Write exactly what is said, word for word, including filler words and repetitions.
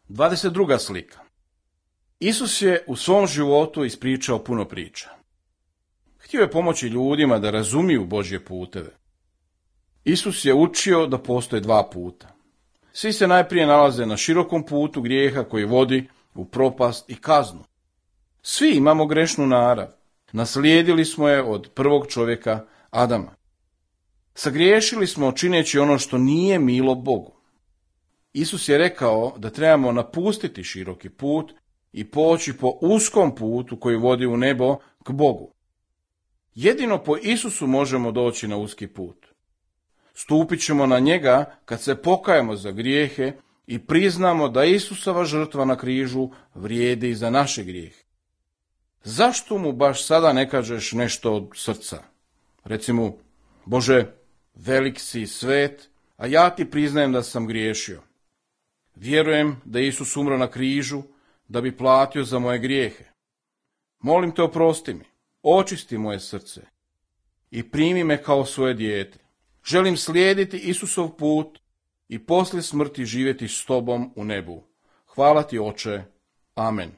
dvadeset druga slika. Isus je u svom životu ispričao puno priča. Htio je pomoći ljudima da razumiju Božje puteve. Isus je učio da postoje dva puta. Svi se najprije nalaze na širokom putu grijeha koji vodi u propast i kaznu. Svi imamo grešnu narav. Naslijedili smo je od prvog čovjeka Adama. Sagriješili smo čineći ono što nije milo Bogu. Isus je rekao da trebamo napustiti široki put i poći po uskom putu koji vodi u nebo k Bogu. Jedino po Isusu možemo doći na uski put. Stupit ćemo na njega kad se pokajemo za grijehe i priznamo da Isusova žrtva na križu vrijedi za naše grijehe. Zašto mu baš sada ne kažeš nešto od srca? Recimo, Bože, velik si i svet, a ja ti priznajem da sam griješio. Vjerujem da je Isus umro na križu da bi platio za moje grijehe. Molim te, oprosti mi, očisti moje srce i primi me kao svoje dijete. Želim slijediti Isusov put i poslije smrti živjeti s tobom u nebu. Hvala ti, Oče. Amen.